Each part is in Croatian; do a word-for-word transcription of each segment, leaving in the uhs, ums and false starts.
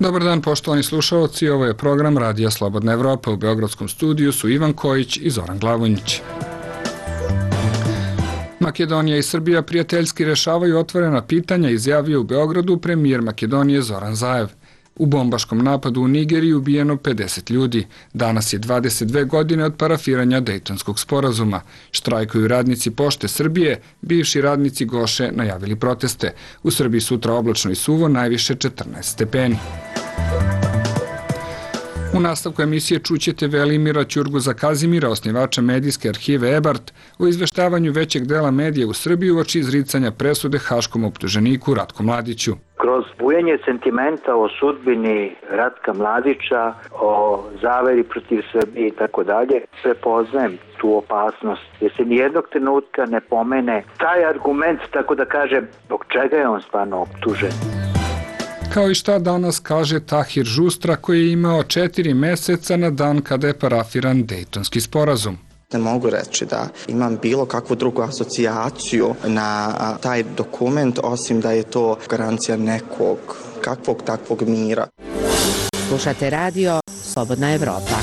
Dobar dan, poštovani slušalci, ovo je program Radija Slobodna Evropa. U beogradskom studiju su Ivan Kojić i Zoran Glavonjić. Makedonija i Srbija prijateljski rešavaju otvorena pitanja, izjavio u Beogradu premijer Makedonije Zoran Zaev. U bombaškom napadu u Nigeriji ubijeno pedeset ljudi. Danas je dvadeset dve godine od parafiranja Dejtonskog sporazuma. Štrajkuju radnici Pošte Srbije, bivši radnici Goše najavili proteste. U Srbiji sutra oblačno i suvo, najviše četrnaest stepeni. U nastavku emisije čućete Velimira Ćurguza Kazimira, osnivača medijske arhive Ebart, o izveštavanju većeg dela medija u Srbiji uoči izricanja presude haškom optuženiku Ratku Mladiću. Kroz bujanje sentimenta o sudbini Ratka Mladića, o zaveri protiv Srbije i tako dalje, prepoznajem tu opasnost, jer se nijednog trenutka ne pomene taj argument, tako da kažem, zbog čega je on stvarno optužen. Kao i šta danas kaže Tahir Žustra, koji je imao četiri meseca na dan kada je parafiran Dejtonski sporazum. Ne mogu reći da imam bilo kakvu drugu asocijaciju na taj dokument, osim da je to garancija nekog, kakvog takvog mira. Slušate radio Slobodna Evropa.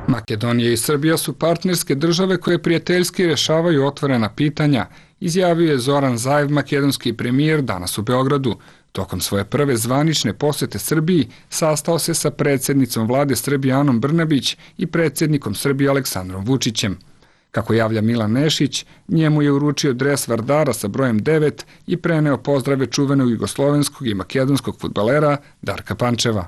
Makedonija i Srbija su partnerske države koje prijateljski rešavaju otvorena pitanja, izjavio je Zoran Zaev, makedonski premijer, danas u Beogradu. Tokom svoje prve zvanične posete Srbiji sastao se sa predsjednicom vlade Srbije Anom Brnabić i predsjednikom Srbije Aleksandrom Vučićem. Kako javlja Milan Nešić, njemu je uručio dres Vardara sa brojem devet i preneo pozdrave čuvenog jugoslovenskog i makedonskog fudbalera Darka Pančeva.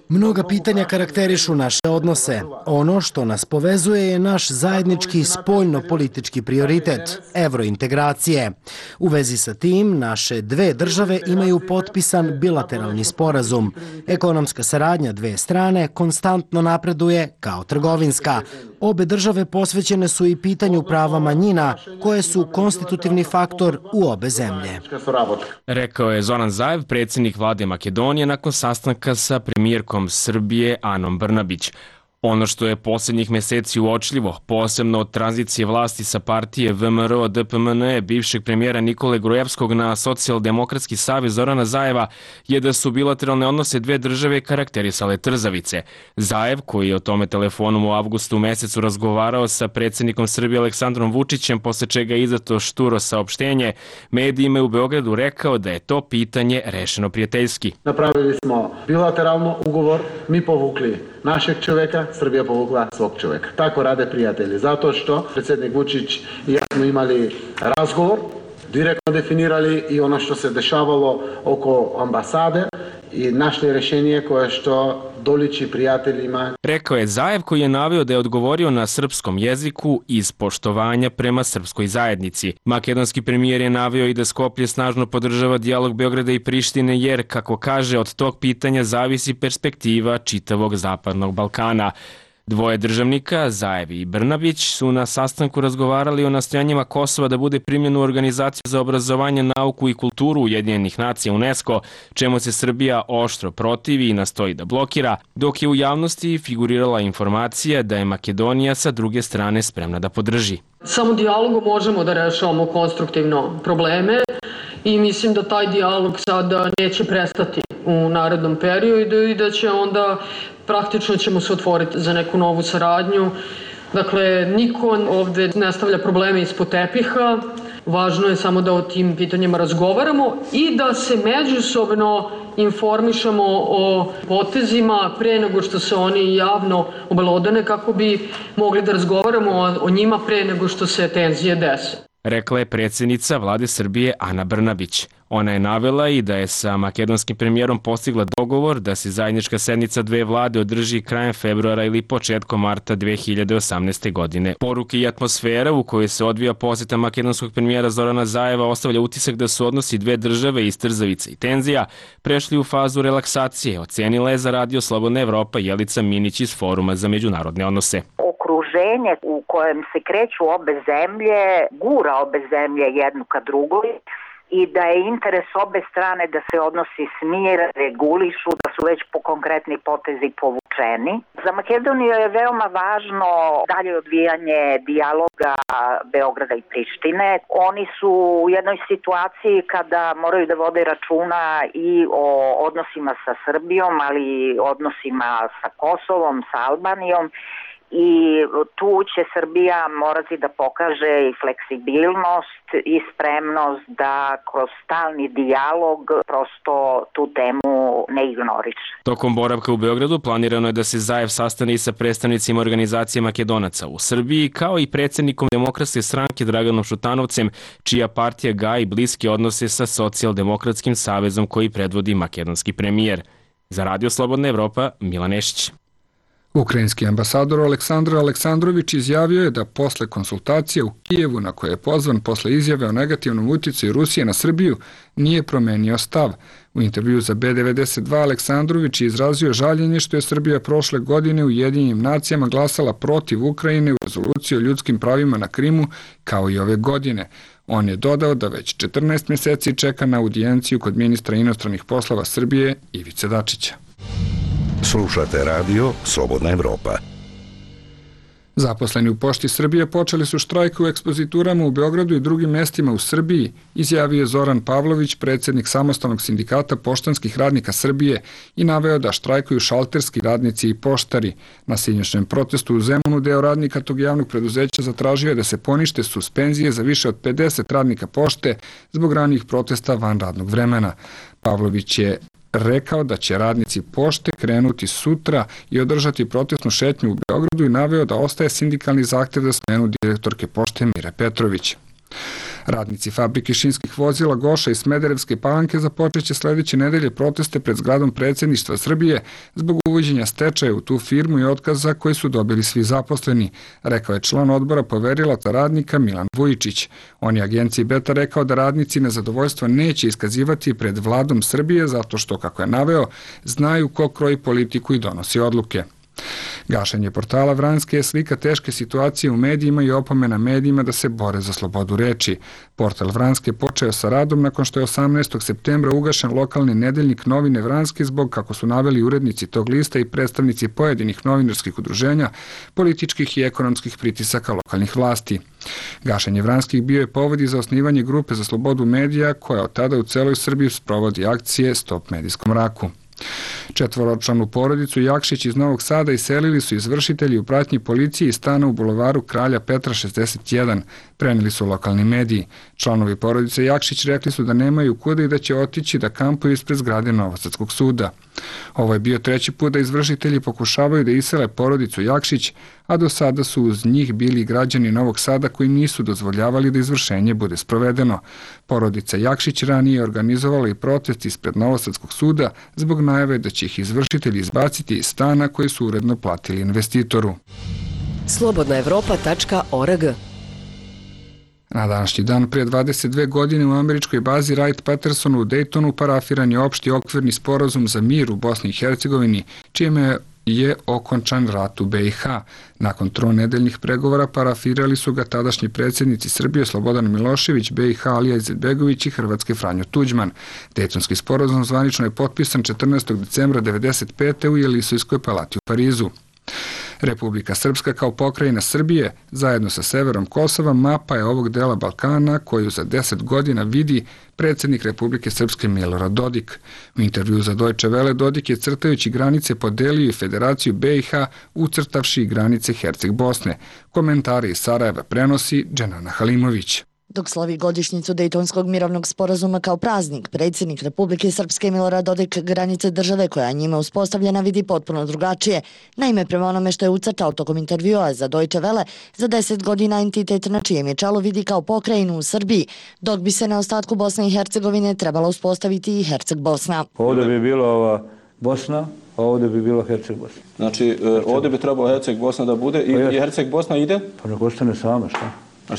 Mnoga pitanja karakterišu naše odnose. Ono što nas povezuje je naš zajednički spoljno-politički prioritet – evrointegracije. U vezi sa tim, naše dve države imaju potpisan bilateralni sporazum. Ekonomska saradnja dve strane konstantno napreduje kao trgovinska. Obe države posvećene su i pitanju prava manjina, koje su konstitutivni faktor u obe zemlje. Rekao je Zoran Zaev, predsjednik vlade Makedonije, nakon sastanka sa premijerkom Srbije Anom Brnabić. Ono što je posljednjih meseci uočljivo, posebno od tranzicije vlasti sa partije V M R O D P M N E bivšeg premijera Nikole Grujevskog na Socijaldemokratski savez Zorana Zaeva, je da su bilateralne odnose dve države karakterisale trzavice. Zaev, koji je o tome telefonom u avgustu mesecu razgovarao sa predsjednikom Srbije Aleksandrom Vučićem, posle čega je izdato šturo saopštenje, medijima je u Beogradu rekao da je to pitanje rešeno prijateljski. Napravili smo bilateralno ugovor, mi povukli našeg čovjeka, Srbija povukla svog čovjeka. Tako rade prijatelji, zato što predsjednik Vučić i ja smo imali razgovor, direktno definirali i ono što se dešavalo oko ambasade i našli rješenje koje što doliči prijateljima. Rekao je Zaev, koji je naveo da je odgovorio na srpskom jeziku iz poštovanja prema srpskoj zajednici. Makedonski premijer je naveo i da Skoplje snažno podržava dijalog Beograda i Prištine jer, kako kaže, od tog pitanja zavisi perspektiva čitavog Zapadnog Balkana. Dvoje državnika, Zaev i Brnabić, su na sastanku razgovarali o nastojanjima Kosova da bude primljen u Organizaciju za obrazovanje, nauku i kulturu Ujedinjenih nacija UNESCO, čemu se Srbija oštro protivi i nastoji da blokira, dok je u javnosti figurirala informacija da je Makedonija sa druge strane spremna da podrži. Samo dijalogom možemo da rešavamo konstruktivno probleme i mislim da taj dijalog sada neće prestati u narednom periodu i da će onda praktično ćemo se otvoriti za neku novu saradnju. Dakle, niko ovde ne stavlja probleme ispod tepiha, važno je samo da o tim pitanjima razgovaramo i da se međusobno informišemo o potezima pre nego što se oni javno obelodane, kako bi mogli da razgovaramo o njima pre nego što se tenzije dese. Rekla je predsjednica vlade Srbije Ana Brnabić. Ona je navela i da je sa makedonskim premijerom postigla dogovor da se zajednička sednica dve vlade održi krajem februara ili početkom marta dve hiljade osamnaeste. godine. Poruke i atmosfera u kojoj se odvija posjeta makedonskog premijera Zorana Zaeva ostavlja utisak da su odnosi dve države iz trzavica i tenzija prešli u fazu relaksacije, ocenila je za radio Slobodna Evropa Jelica Minić iz Foruma za međunarodne odnose. Okruženje u kojem se kreću obe zemlje, gura obe zemlje jednu ka drugoj i da je interes obe strane da se odnosi smire, regulišu, da su već po konkretni potezi povučeni. Za Makedoniju je veoma važno dalje odvijanje dijaloga Beograda i Prištine. Oni su u jednoj situaciji kada moraju da vode računa i o odnosima sa Srbijom, ali i odnosima sa Kosovom, sa Albanijom. I tu će Srbija morati da pokaže i fleksibilnost i spremnost da kroz stalni dijalog prosto tu temu ne ignoriše. Tokom boravka u Beogradu planirano je da se Zaev sastane i sa predstavnicima organizacije Makedonaca u Srbiji, kao i predsjednikom Demokratske stranke Draganom Šutanovcem, čija partija gaji bliske odnose sa Socijaldemokratskim savezom koji predvodi makedonski premijer. Za Radio Slobodna Evropa, Milan Nešić. Ukrajinski ambasador Aleksandar Aleksandrović izjavio je da posle konsultacije u Kijevu, na koje je pozvan posle izjave o negativnom utjecaju Rusije na Srbiju, nije promenio stav. U intervju za B devedeset dva Aleksandrović je izrazio žaljenje što je Srbija prošle godine u Ujedinjenim nacijama glasala protiv Ukrajine u rezoluciji o ljudskim pravima na Krimu, kao i ove godine. On je dodao da već četrnaest mjeseci čeka na audijenciju kod ministra inostranih poslova Srbije Ivice Dačića. Slušate radio Slobodna Evropa. Zaposleni u Pošti Srbije počeli su štrajk u ekspoziturama u Beogradu i drugim mjestima u Srbiji, izjavio je Zoran Pavlović, predsjednik Samostalnog sindikata poštanskih radnika Srbije, i naveo da štrajkuju šalterski radnici i poštari. Na sinoćnom protestu u Zemunu deo radnika tog javnog preduzeća zatražio je da se ponište suspenzije za više od pedeset radnika pošte zbog ranijih protesta van radnog vremena. Pavlović je rekao da će radnici pošte krenuti sutra i održati protestnu šetnju u Beogradu i naveo da ostaje sindikalni zahtjev za smjenu direktorke pošte Mire Petrović. Radnici fabrike šinskih vozila Goša i Smederevske Palanke započeće sljedeće nedelje proteste pred zgradom predsjedništva Srbije zbog uvođenja stečaja u tu firmu i otkaza koji su dobili svi zaposleni, rekao je član odbora poverilaca radnika Milan Vujičić. On je agenciji Beta rekao da radnici nezadovoljstvo neće iskazivati pred vladom Srbije zato što, kako je naveo, znaju ko kroji politiku i donosi odluke. Gašenje portala Vranjske je slika teške situacije u medijima i opomena medijima da se bore za slobodu reči. Portal Vranjske počeo sa radom nakon što je osamnaestog septembra ugašen lokalni nedeljnik Novine Vranjske zbog, kako su naveli urednici tog lista i predstavnici pojedinih novinarskih udruženja, političkih i ekonomskih pritisaka lokalnih vlasti. Gašenje Vranjskih bio je povod i za osnivanje grupe za slobodu medija koja od tada u celoj Srbiji sprovodi akcije Stop medijskom mraku. Četvoročlanu porodicu Jakšić iz Novog Sada iselili su izvršitelji u pratnji policije iz stana u bulevaru Kralja Petra šezdeset jedan, preneli su lokalni mediji. Članovi porodice Jakšić rekli su da nemaju kuda i da će otići da kampuju ispred zgrade Novosadskog suda. Ovo je bio treći put da izvršitelji pokušavaju da isele porodicu Jakšić, a do sada su uz njih bili građani Novog Sada koji nisu dozvoljavali da izvršenje bude sprovedeno. Porodica Jakšić ranije organizovala i protest ispred Novosadskog suda zbog najave da će ih izvršitelji izbaciti iz stana koji su uredno platili investitoru. slobodna evropa tačka org. Na današnji dan prije dvadeset dve godine u američkoj bazi Wright-Pattersonu u Daytonu parafiran je opšti okvirni sporazum za mir u Bosni i Hercegovini, čime je okončan rat u be i ha. Nakon tronedeljnih pregovora parafirali su ga tadašnji predsjednici Srbije Slobodan Milošević, be i ha Alija Izetbegović i Hrvatske Franjo Tuđman. Dejtonski sporazum zvanično je potpisan četrnaestog decembra devedeset pete u Jelisejskoj palati u Parizu. Republika Srpska kao pokrajina Srbije, zajedno sa severom Kosova, mapa je ovog dela Balkana koju za deset godina vidi predsjednik Republike Srpske Milorad Dodik. U intervju za Deutsche Welle Dodik je crtajući granice podelio i Federaciju be i ha, ucrtavši granice Herceg Bosne. Komentari iz Sarajeva prenosi Dženana Halimović. Dok slavi godišnjicu Dejtonskog mirovnog sporazuma kao praznik, predsjednik Republike Srpske Milorad Dodik granice države koja njima uspostavljena vidi potpuno drugačije. Naime, prema onome što je ucrtao tokom intervjua za Deutsche Welle, za deset godina entitet na čijem je čelu vidi kao pokrajinu u Srbiji, dok bi se na ostatku Bosne i Hercegovine trebala uspostaviti i Herceg Bosna. Ovdje bi bila ova Bosna, a ovdje bi bilo Herceg Bosna. Znači, ovdje bi trebalo Herceg Bosna da bude i, i Herceg Bosna ide? Pa nek ostane sama, šta?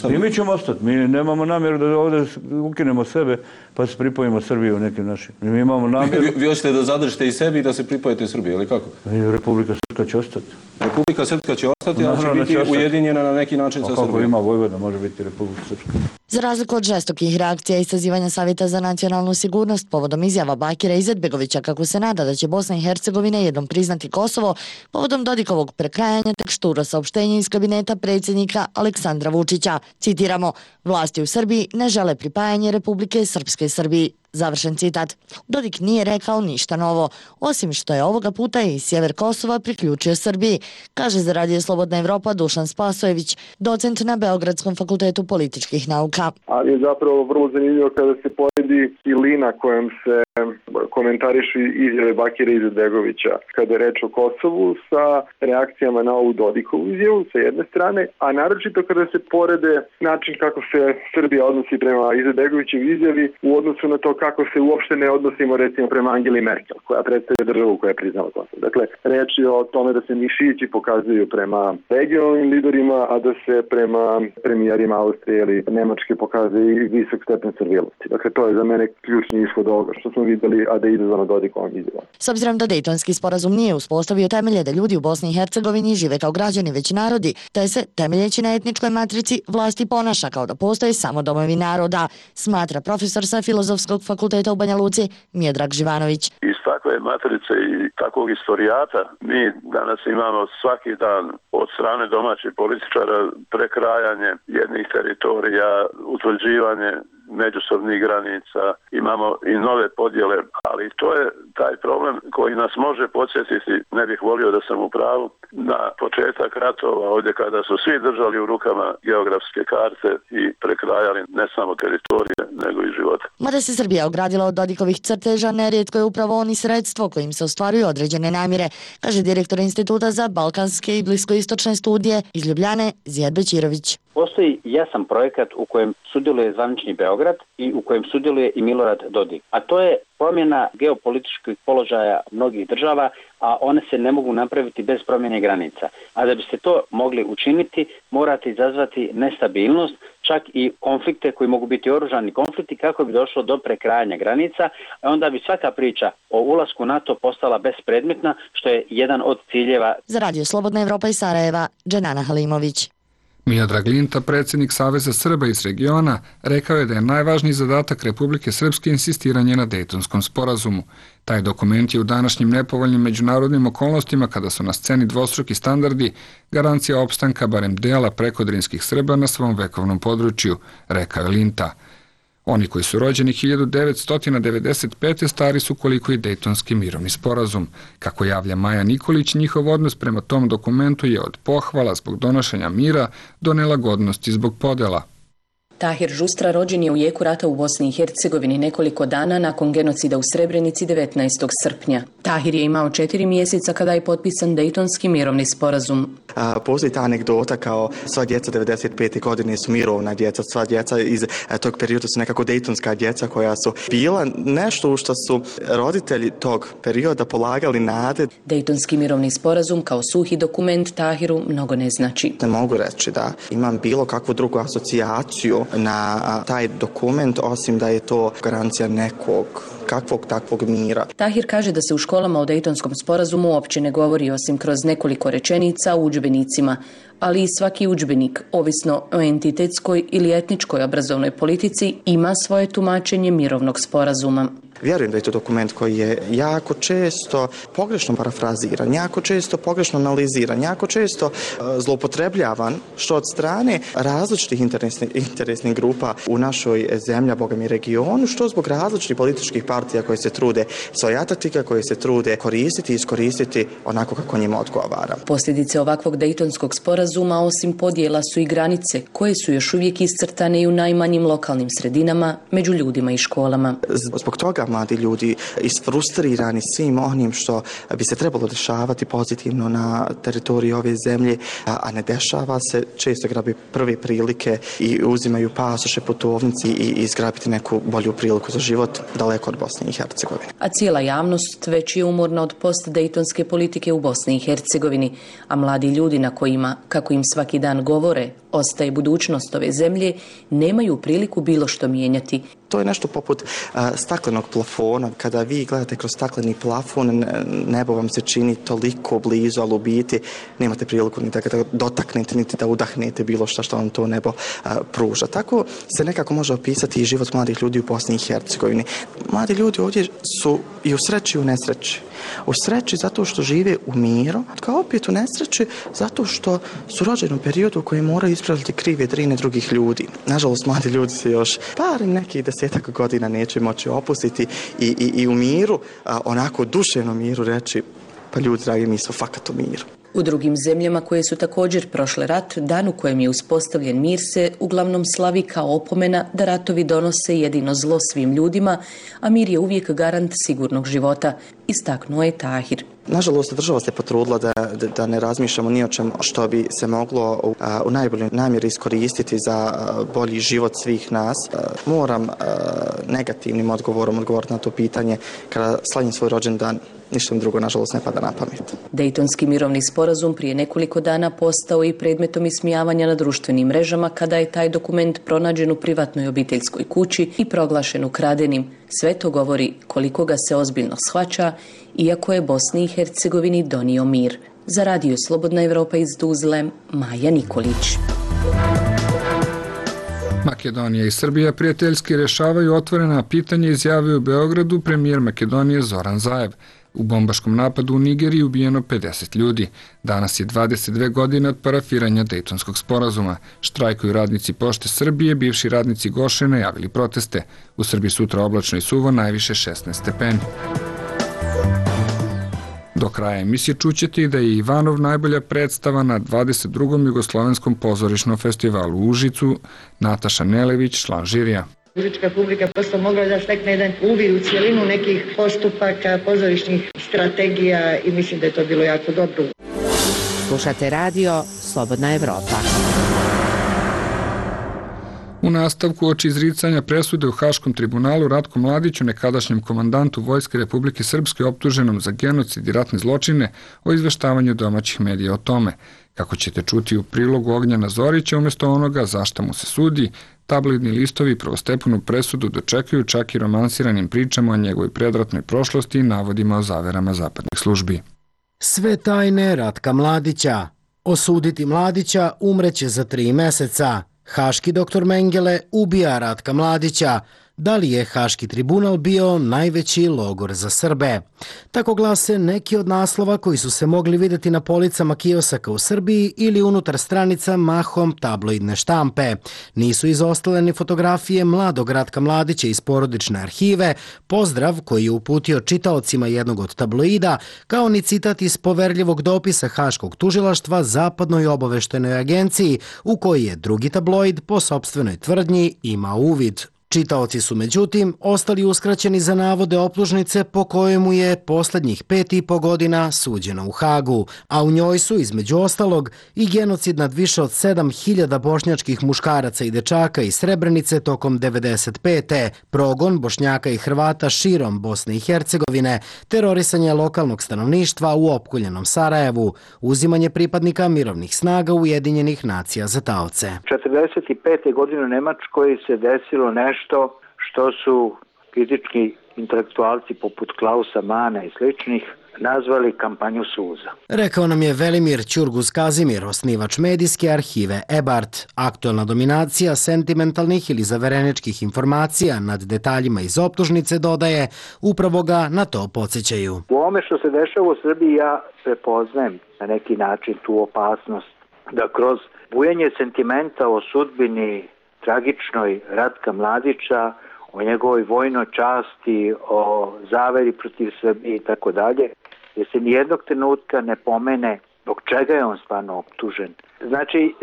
I mi ćemo ostati, mi nemamo namjeru da ovdje ukinemo sebe pa se pripojimo Srbiju nekim našim. Mi imamo namjeru... Vi, vi hoćete da zadržite i sebi i da se pripojite Srbiji, ili kako? Republika Srpska će ostati. Republika Srpska će ostati? Ali će biti ujedinjena na neki način sa Srbijom. Kako ima Vojvodina, može biti Republika Srpska. Za razliku od žestokih reakcija i sazivanja Savjeta za nacionalnu sigurnost povodom izjava Bakira Izetbegovića kako se nada da će Bosna i Hercegovina jednom priznati Kosovo, povodom Dodikovog prekrajanja tek šturo saopštenje iz kabineta predsjednika Aleksandra Vučića. Citiramo, vlasti u Srbiji ne žele pripajanje Republike Srpske Srbiji. Završen citat. Dodik nije rekao ništa novo, osim što je ovoga puta i sjever Kosova priključio Srbiji, kaže za Radio Slobodna Evropa Dušan Spasojević, docent na Beogradskom fakultetu političkih nauka. Ali je zapravo vrlo zanimljivo kada se poredi i lina kojom se komentarišu izjave Bakira Izetbegovića kada je reč o Kosovu sa reakcijama na ovu Dodikovu izjavu sa jedne strane, a naročito kada se porede način kako se Srbija odnosi prema Izetbegovićev izjavi u odnosu na to kako se uopšte ne odnosimo recimo prema Angeli Merkel, koja predstavlja državu koja je priznala Kosovo. Dakle, reč je o tome da se mišići pokazuju prema regionalnim liderima, a da se prema premijerima Austrije ili Nemačke pokazuje visok stepen servilosti. Dakle, to je za mene ključni ishod ovoga što smo videli, a da je izazvano Dodikovom izjavom. S obzirom da Dejtonski sporazum nije uspostavio temelje da ljudi u Bosni i Hercegovini žive kao građani već narodi, te se, temeljeći na etničkoj matrici, vlasti ponaša kao da postoje samo domovi naroda, smatra profesor sa Filozofskog fakulteta u Banja Luci Miodrag Živanović. Iz takve matrice i takvog istorijata mi danas imamo svaki dan od strane domaćih političara prekrajanje jednih teritorija, utvrđivanje međusobnih granica, imamo i nove podjele, ali to je taj problem koji nas može podsjetiti, ne bih volio da sam u pravu, na početak ratova, ovdje kada su svi držali u rukama geografske karte i prekrajali ne samo teritorije, nego i živote. Mada se Srbija ogradila od Dodikovih crteža, nerijetko je upravo oni sredstvo kojim se ostvaruju određene namjere, kaže direktor Instituta za balkanske i bliskoistočne studije iz Ljubljane Zijad Bećirović. Postoji jasan projekat u kojem sudjeluje zvanični Beograd i u kojem sudjeluje i Milorad Dodik. A to je promjena geopolitičkih položaja mnogih država, a one se ne mogu napraviti bez promjene granica. A da biste to mogli učiniti, morate izazvati nestabilnost, čak i konflikte koji mogu biti oružani konflikti kako bi došlo do prekrajanja granica, a onda bi svaka priča o ulasku u NATO postala bespredmetna, što je jedan od ciljeva. Za Radio Slobodna Evropa iz Sarajeva, Dženana Halimović. Miodrag Linta, predsjednik Saveza Srba iz regiona, rekao je da je najvažniji zadatak Republike Srpske insistiranje na Dejtonskom sporazumu. Taj dokument je u današnjim nepovoljnim međunarodnim okolnostima, kada su na sceni dvostruki standardi, garancija opstanka barem dela prekodrinskih Srba na svom vekovnom području, rekao je Linta. Oni koji su rođeni hiljadu devetsto devedeset pete stari su koliko i Dejtonski mirovni sporazum. Kako javlja Maja Nikolić, njihov odnos prema tom dokumentu je od pohvala zbog donošenja mira do nelagodnosti zbog podela. Tahir Žustra rođen je u jeku rata u Bosni i Hercegovini nekoliko dana nakon genocida u Srebrenici devetnaestog srpnja. Tahir je imao četiri mjeseca kada je potpisan Dejtonski mirovni sporazum. A, postoji ta anegdota kao sva djeca devedeset pete godine su mirovna djeca, sva djeca iz a, tog perioda su nekako dejtonska djeca koja su bila nešto u što su roditelji tog perioda polagali nade. Dejtonski mirovni sporazum kao suhi dokument Tahiru mnogo ne znači. Ne mogu reći da imam bilo kakvu drugu asocijaciju na a, taj dokument, osim da je to garancija nekog kakvog takvog mira. Tahir kaže da se u školama o Dejtonskom sporazumu uopće ne govori osim kroz nekoliko rečenica u udžbenicima, ali i svaki udžbenik, ovisno o entitetskoj ili etničkoj obrazovnoj politici, ima svoje tumačenje mirovnog sporazuma. Vjerujem da je to dokument koji je jako često pogrešno parafraziran, jako često pogrešno analiziran, jako često uh, zloupotrebljavan, što od strane različitih interesnih, interesnih grupa u našoj zemlji, Boga mi regionu, što zbog različitih političkih partija koje se trude svojatati ga, koje se trude koristiti i iskoristiti onako kako njima odgovara. Posljedice ovakvog Dejtonskog sporazuma osim podjela su i granice, koje su još uvijek iscrtane i u najmanjim lokalnim sredinama, među ljudima i školama. Zbog toga mladi ljudi isfrustrirani svim onim što bi se trebalo dešavati pozitivno na teritoriji ove zemlje, a ne dešava se, često grabi prve prilike i uzimaju pasoše, putovnici i izgrabiti neku bolju priliku za život daleko od Bosne i Hercegovine. A cijela javnost već je umorna od post-dejtonske politike u Bosni i Hercegovini, a mladi ljudi na kojima, kako im svaki dan govore, ostaje budućnost ove zemlje, nemaju priliku bilo što mijenjati. to je nešto poput a, staklenog plafona. Kada vi gledate kroz stakleni plafon, nebo vam se čini toliko blizu, ali u biti nemate priliku ni da ga dotaknete, niti da udahnete bilo šta što vam to nebo a, pruža. Tako se nekako može opisati i život mladih ljudi u Bosni i Hercegovini. Mladi ljudi ovdje su i u sreći i u nesreći. U sreći zato što žive u miru, kao opet u nesreći zato što su rođeni u periodu u kojem moraju ispravljati krive drine drugih ljudi. Nažalost, mladi ljudi se još par nekih desetak godina neće moći opustiti i, i, i u miru, a, onako duševnom miru reći, pa ljudi, dragi, mi smo fakat u miru. U drugim zemljama koje su također prošle rat, dan u kojem je uspostavljen mir se uglavnom slavi kao opomena da ratovi donose jedino zlo svim ljudima, a mir je uvijek garant sigurnog života, istaknuo je Tahir. Nažalost, država se potrudila da, da, da ne razmišljamo ni o čem što bi se moglo u, u najboljoj namjeri iskoristiti za bolji život svih nas. Moram negativnim odgovorom odgovoriti na to pitanje kada slavim svoj rođendan. Ništa mi drugo, nažalost, ne pada na pamet. Dejtonski mirovni sporazum prije nekoliko dana postao i predmetom ismijavanja na društvenim mrežama kada je taj dokument pronađen u privatnoj obiteljskoj kući i proglašen ukradenim. Sve to govori koliko ga se ozbiljno shvaća, iako je Bosni i Hercegovini donio mir. Za Radio Slobodna Evropa iz Tuzle, Maja Nikolić. Makedonija i Srbija prijateljski rješavaju otvorena pitanja, izjavio u Beogradu premijer Makedonije Zoran Zaev. U bombaškom napadu u Nigeriji ubijeno pedeset ljudi. Danas je dvadeset dve godine od parafiranja Dejtonskog sporazuma. Štrajkuju radnici Pošte Srbije, bivši radnici Goše najavili proteste. U Srbiji sutra oblačno i suvo, najviše šesnaest stepeni. Do kraja emisije čućete i da je Ivanov najbolja predstava na dvadeset drugom Jugoslovenskom pozorišnom festivalu u Užicu, Nataša Nelević, član žirija. Užička publika prosto mogla da stekne jedan uvid u cijelinu nekih postupaka, pozorišnih strategija i mislim da je to bilo jako dobro. Slušate radio Slobodna Evropa. U nastavku oči izricanja presude u Haškom tribunalu Ratku Mladiću, nekadašnjem komandantu Vojske Republike Srpske optuženom za genocid i ratne zločine, o izveštavanju domaćih medija o tome. Kako ćete čuti u prilogu Ognjena Zorića, umjesto onoga zašta mu se sudi, tabloidni listovi prvostepenu presudu dočekuju čak i romansiranim pričama o njegovoj predratnoj prošlosti i navodima o zaverama zapadnih službi. Sve tajne Ratka Mladića. Osuditi Mladića umreće za tri meseca. Haški doktor Mengele ubija Ratka Mladića. Da li je Haški tribunal bio najveći logor za Srbe? Tako glase neki od naslova koji su se mogli vidjeti na policama kiosaka u Srbiji ili unutar stranica mahom tabloidne štampe. Nisu izostale ni fotografije mladog Ratka Mladića iz porodične arhive, pozdrav koji je uputio čitaocima jednog od tabloida, kao ni citat iz poverljivog dopisa Haškog tužilaštva Zapadnoj obaveštenoj agenciji, u koji je drugi tabloid po sopstvenoj tvrdnji imao uvid. Čitaoci su međutim ostali uskraćeni za navode optužnice po kojemu je posljednjih pet i po godina suđeno u Hagu, a u njoj su između ostalog i genocid nad više od sedam hiljada bošnjačkih muškaraca i dečaka iz Srebrenice tokom devedeset pete progon Bošnjaka i Hrvata širom Bosne i Hercegovine, terorisanje lokalnog stanovništva u opkoljenom Sarajevu, uzimanje pripadnika mirovnih snaga Ujedinjenih nacija za taoce. četrdeset pete godine u Nemačkoj se desilo nešto što, što su kritički intelektualci poput Klausa Mana i sličnih nazvali kampanju suza. Rekao nam je Velimir Ćurguz Kazimir, osnivač medijske arhive Ebart. Aktualna dominacija sentimentalnih ili zavereničkih informacija nad detaljima iz optužnice, dodaje, upravo ga na to podsjećaju. U ovome što se dešava u Srbiji ja prepoznajem na neki način tu opasnost da kroz bujanje sentimenta o sudbini tragičnoj Ratka Mladića, o njegovoj vojnoj časti, o zaveri protiv Srbije i tako dalje, jer se nijednog trenutka ne pomene zbog čega je on stvarno optužen. Znači,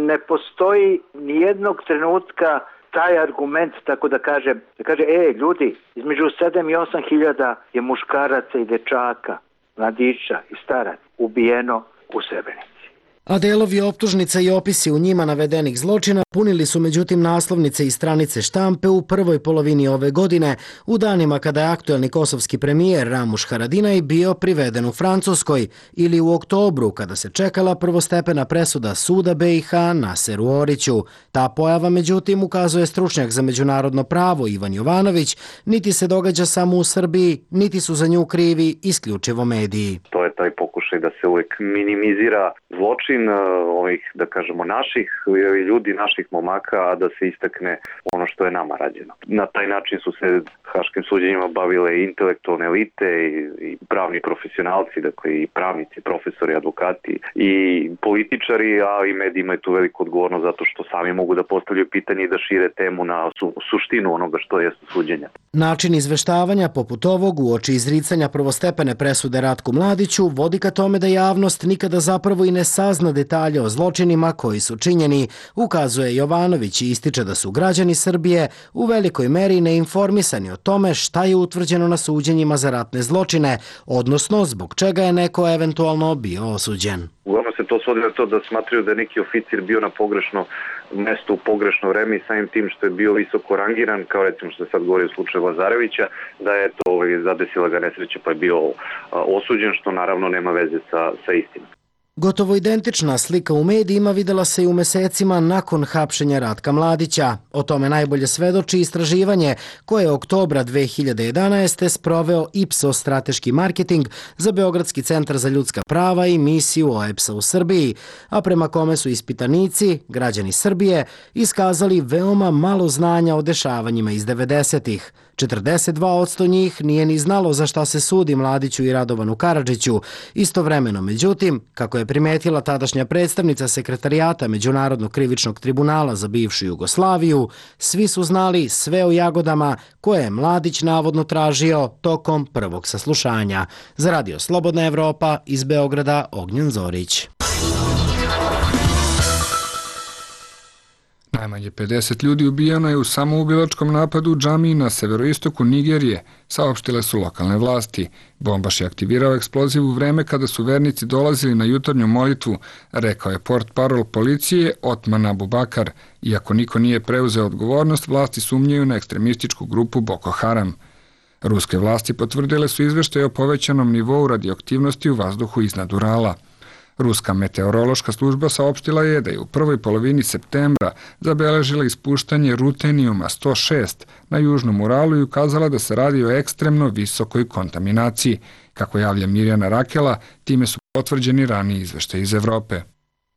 ne postoji nijednog trenutka taj argument, tako da kaže, da kaže, e, ljudi, između sedam i osam hiljada je muškaraca i dečaka, mladića i staraca ubijeno u Srebrenici. A delovi optužnica i opisi u njima navedenih zločina punili su međutim naslovnice i stranice štampe u prvoj polovini ove godine, u danima kada je aktuelni kosovski premijer Ramuš Haradinaj bio priveden u Francuskoj, ili u oktobru kada se čekala prvostepena presuda suda B i H Naseru Oriću. Ta pojava međutim, ukazuje stručnjak za međunarodno pravo Ivan Jovanović, niti se događa samo u Srbiji, niti su za nju krivi isključivo mediji. To je taj pokušaj da se uvijek minimizira zločin ovih, da kažemo, naših ljudi, naših momaka, a da se istakne ono što je nama rađeno. Na taj način su se haškim suđenjima bavile i intelektualne elite i, i pravni profesionalci, dakle i pravnici, profesori, advokati i političari, a i mediji imaju tu veliku odgovornost zato što sami mogu da postavljaju pitanje i da šire temu na su, suštinu onoga što je suđenja. Način izveštavanja poput ovog uoči izricanja prvostepene presude Ratku Mladiću vodi ka tome da javnost nikada zapravo i ne sazna detalje o zločinima koji su činjeni, ukazuje Jovanović i ističe da su građani Srbije u velikoj meri neinformisani o tome šta je utvrđeno na suđenjima za ratne zločine, odnosno zbog čega je neko eventualno bio osuđen. Uglavnom se to svodi na to da smatraju da je neki oficir bio na pogrešno mesto u pogrešno vreme i samim tim što je bio visoko rangiran, kao recimo što se sad govori u slučaju Lazarevića, da je to ovaj, zadesila ga nesreća pa je bio a, osuđen, što naravno nema veze sa, sa istinom. Gotovo identična slika u medijima videla se i u mesecima nakon hapšenja Ratka Mladića. O tome najbolje svedoči istraživanje koje je oktobra dve hiljade jedanaeste. sproveo Ipsos strateški marketing za Beogradski centar za ljudska prava i misiju O E B S A u Srbiji, a prema kome su ispitanici, građani Srbije, iskazali veoma malo znanja o dešavanjima iz devedesetih. četrdeset dva posto njih nije ni znalo za šta se sudi Mladiću i Radovanu Karadžiću. Istovremeno, međutim, kako je primetila tadašnja predstavnica sekretarijata Međunarodnog krivičnog tribunala za bivšu Jugoslaviju, svi su znali sve o jagodama koje je Mladić navodno tražio tokom prvog saslušanja. Za Radio Slobodna Evropa iz Beograda, Ognjen Zorić. Najmanje pedeset ljudi ubijeno je u samoubilačkom napadu u džamiji na severoistoku Nigerije, saopštile su lokalne vlasti. Bombaš je aktivirao eksploziv u vreme kada su vernici dolazili na jutarnju molitvu, rekao je portparol policije Otman Abubakar. Iako niko nije preuzeo odgovornost, vlasti sumnjaju na ekstremističku grupu Boko Haram. Ruske vlasti potvrdile su izveštaje o povećanom nivou radioaktivnosti u vazduhu iznad Urala. Ruska meteorološka služba saopštila je da je u prvoj polovini septembra zabeležila ispuštanje rutenijuma sto šest na južnom Uralu i ukazala da se radi o ekstremno visokoj kontaminaciji. Kako javlja Mirjana Rakela, time su potvrđeni raniji izveštaji iz Evrope.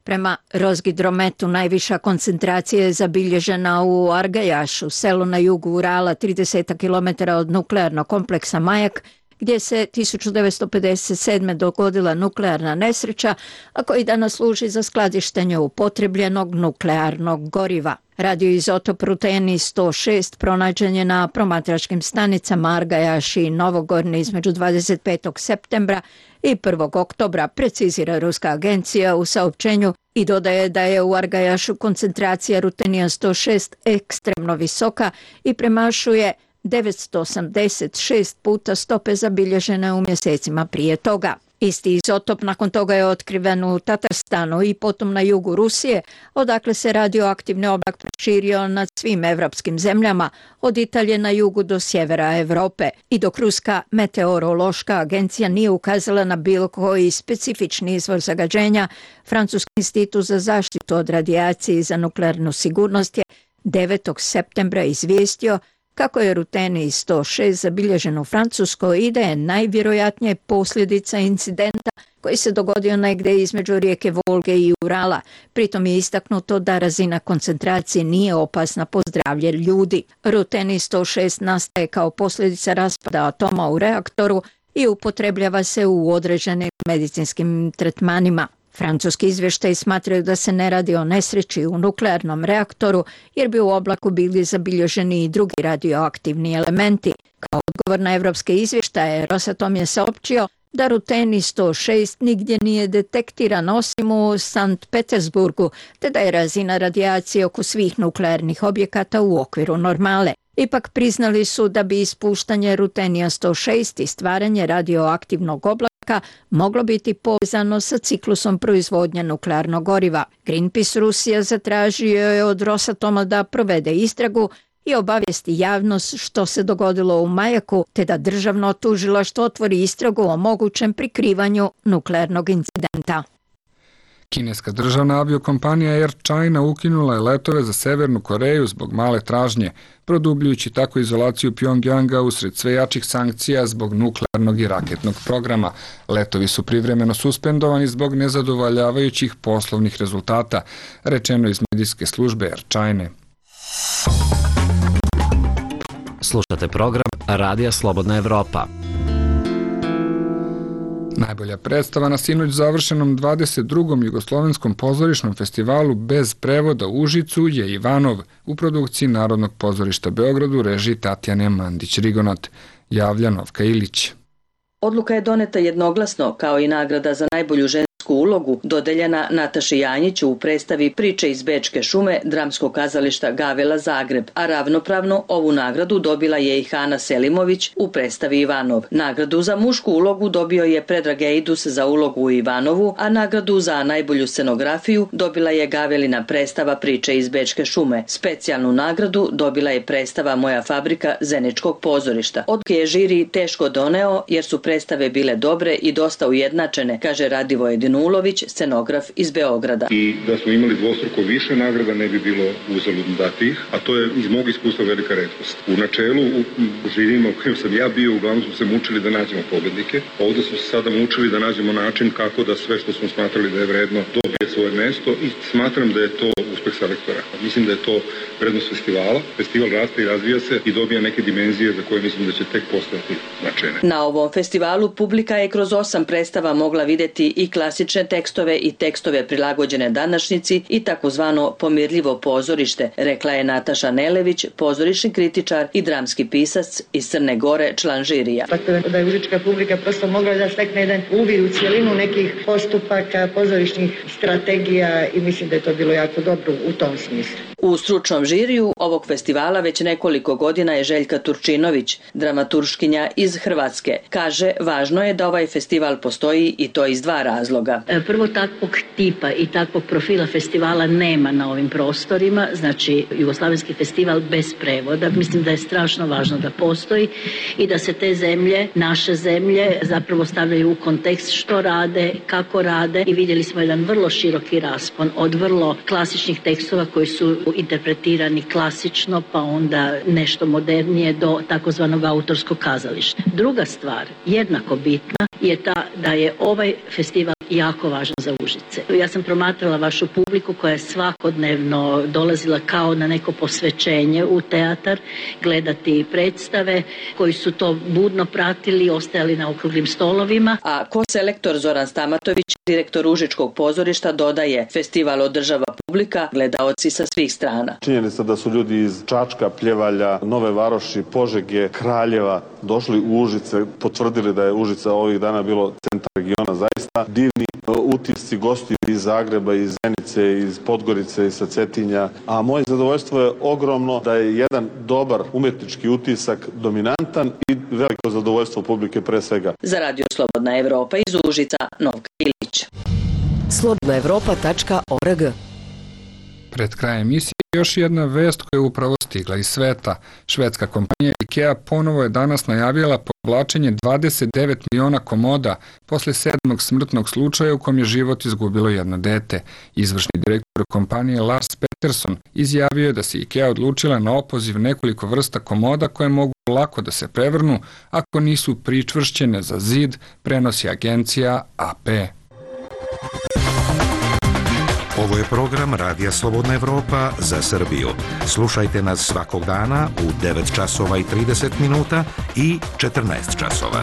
Prema Rozgidrometu najviša koncentracija je zabilježena u Argajašu, selu na jugu Urala, trideset kilometara od nuklearnog kompleksa Majak, gdje se tisuću devetsto pedeset sedme dogodila nuklearna nesreća, a koji danas služi za skladištenje upotrebljenog nuklearnog goriva. Radioizotop ruteni sto šest pronađen je na promatračkim stanicama Argajaš i Novogorni između dvadeset petog septembra i prvog oktobra, precizira ruska agencija u saopćenju i dodaje da je u Argajašu koncentracija rutenija sto šest ekstremno visoka i premašuje devetsto osamdeset šest puta stope zabilježene u mjesecima prije toga. Isti izotop nakon toga je otkriven u Tatarstanu i potom na jugu Rusije, odakle se radioaktivni oblak proširio nad svim evropskim zemljama, od Italije na jugu do sjevera Europe. I dok Ruska meteorološka agencija nije ukazala na bilo koji specifični izvor zagađenja, Francuski institut za zaštitu od radijacije i za nuklearnu sigurnost je devetog septembra izvijestio kako je ruteni sto šest zabilježen u Francuskoj i da je najvjerojatnije posljedica incidenta koji se dogodio negdje između rijeke Volge i Urala. Pritom je istaknuto da razina koncentracije nije opasna po zdravlje ljudi. Ruteni sto šest nastaje kao posljedica raspada atoma u reaktoru i upotrebljava se u određenim medicinskim tretmanima. Francuski izvještaji smatraju da se ne radi o nesreći u nuklearnom reaktoru, jer bi u oblaku bili zabilježeni i drugi radioaktivni elementi. Kao odgovor na evropske izvještaje, Rosatom je saopćio da ruteni sto šest nigdje nije detektiran osim u Sankt Petersburgu, te da je razina radijacije oko svih nuklearnih objekata u okviru normale. Ipak priznali su da bi ispuštanje rutenija sto šest i stvaranje radioaktivnog oblaka moglo biti povezano sa ciklusom proizvodnje nuklearnog goriva. Greenpeace Rusija zatražio je od Rosatoma da provede istragu i obavijesti javnost što se dogodilo u Majaku, te da državno tužilaštvo otvori istragu o mogućem prikrivanju nuklearnog incidenta. Kineska državna aviokompanija Air China ukinula je letove za Severnu Koreju zbog male tražnje, produbljujući tako izolaciju Pjongjanga usred sve jačih sankcija zbog nuklearnog i raketnog programa. Letovi su privremeno suspendovani zbog nezadovoljavajućih poslovnih rezultata, rečeno iz medijske službe Air Chine. Slušate program Radija Slobodna Evropa. Najbolja predstava na sinoć završenom dvadeset drugom Jugoslovenskom pozorišnom festivalu bez prevoda u Užicu je Ivanov u produkciji Narodnog pozorišta Beogradu, režiji Tatjane Mandić-Rigonat. Javlja Novka Ilić. Odluka je doneta jednoglasno, kao i nagrada za najbolju žensku ulogu dodeljena Nataši Janjiću u predstavi Priče iz Bečke šume dramskog kazališta Gavela Zagreb, a ravnopravno ovu nagradu dobila je i Hana Selimović u predstavi Ivanov. Nagradu za mušku ulogu dobio je Predrag Eidus za ulogu u Ivanovu, a nagradu za najbolju scenografiju dobila je Gavelina predstava Priče iz Bečke šume. Specijalnu nagradu dobila je predstava Moja fabrika Zeničkog pozorišta. Odluke je žiri teško doneo jer su predstave bile dobre i dosta ujednačene, kaže Radivoje Dinulović, scenograf iz Beograda. I da smo imali dvostruko više nagrada ne bi bilo uzaludno dati ih, a to je iz mog iskustva velika retkost. U načelu, u žirijima u kojem sam ja bio, uglavnom smo se mučili da nađemo pobednike. Ovdje smo se sada mučili da nađemo način kako da sve što smo smatrali da je vredno dobije svoje mesto i smatram da je to uspeh selektora. Mislim da je to vrednost festivala. Festival raste i razvija se i dobija neke dimenzije za koje mislim da će tek postati značajne. Na ovom festivalu publika je kroz osam predstava mogla vidjeti i klasične tekstove i tekstove prilagođene današnjici i takozvano pomirljivo pozorište, rekla je Nataša Nelević, pozorišni kritičar i dramski pisac iz Crne Gore, član žirija. Tako da je užička publika prosto mogla da stekne jedan uvid u cijelinu nekih postupaka, pozorišnih strategija i mislim da je to bilo jako dobro u tom smislu. U stručnom žiriju ovog festivala već nekoliko godina je Željka Turčinović, dramaturškinja iz Hrvatske. Kaže, važno je da ovaj festival postoji i to iz dva razloga. Prvo, takvog tipa i takvog profila festivala nema na ovim prostorima, znači Jugoslavenski festival bez prevoda. Mislim da je strašno važno da postoji i da se te zemlje, naše zemlje, zapravo stavljaju u kontekst što rade, kako rade i vidjeli smo jedan vrlo široki raspon od vrlo klasičnih tekstova koji su interpretirani klasično pa onda nešto modernije do takozvanog autorskog kazališta. Druga stvar, jednako bitna, je ta da je ovaj festival jako važan za Užice. Ja sam promatrala vašu publiku koja je svakodnevno dolazila kao na neko posvećenje u teatar, gledati predstave, koji su to budno pratili, ostajali na okruglim stolovima. A ko-selektor Zoran Stamatović, direktor Užičkog pozorišta, dodaje, festival održava publika, gledaoci sa svih strana. Činjenica da su ljudi iz Čačka, Pljevalja, Nove Varoši, Požege, Kraljeva došli u Užice, potvrdili da je Užica ovih dana bilo centar regiona, zaista divni utisci gostiju iz Zagreba, iz Zenice, iz Podgorice, iz Cetinja. A moje zadovoljstvo je ogromno da je jedan dobar umetnički utisak dominantan i veliko zadovoljstvo publike pre svega. Za Radio Slobodna Evropa iz Užica, Novka Ilić. slobodna evropa tačka org. Pred krajem emisije još jedna vest koja je upravo stigla iz sveta. Švedska kompanija IKEA ponovo je danas najavila povlačenje dvadeset devet miliona komoda posle sedmog smrtnog slučaja u kom je život izgubilo jedno dete. Izvršni direktor kompanije Lars Peterson izjavio je da se IKEA odlučila na opoziv nekoliko vrsta komoda koje mogu lako da se prevrnu ako nisu pričvršćene za zid, prenosi agencija A P. Ovo je program Radija Slobodna Evropa za Srbiju. Slušajte nas svakog dana u devet časova i trideset minuta i četrnaest časova.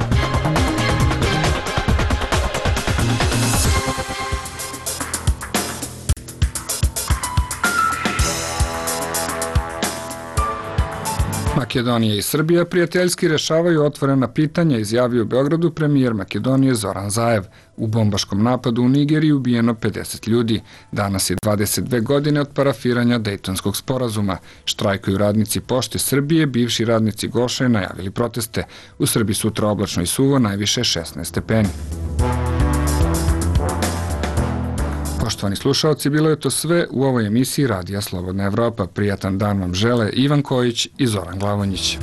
Makedonija i Srbija prijateljski rešavaju otvorena pitanja, izjavio u Beogradu premijer Makedonije Zoran Zaev. U bombaškom napadu u Nigeriji ubijeno pedeset ljudi. Danas je dvadeset dve godine od parafiranja Dejtonskog sporazuma. Štrajkuju radnici Pošte Srbije, bivši radnici Goše najavili proteste. U Srbiji sutra oblačno i suvo, najviše šesnaest stepeni. Poštovani slušalci, bilo je to sve u ovoj emisiji Radija Slobodna Evropa. Prijatan dan vam žele Ivan Kojić i Zoran Glavonjić.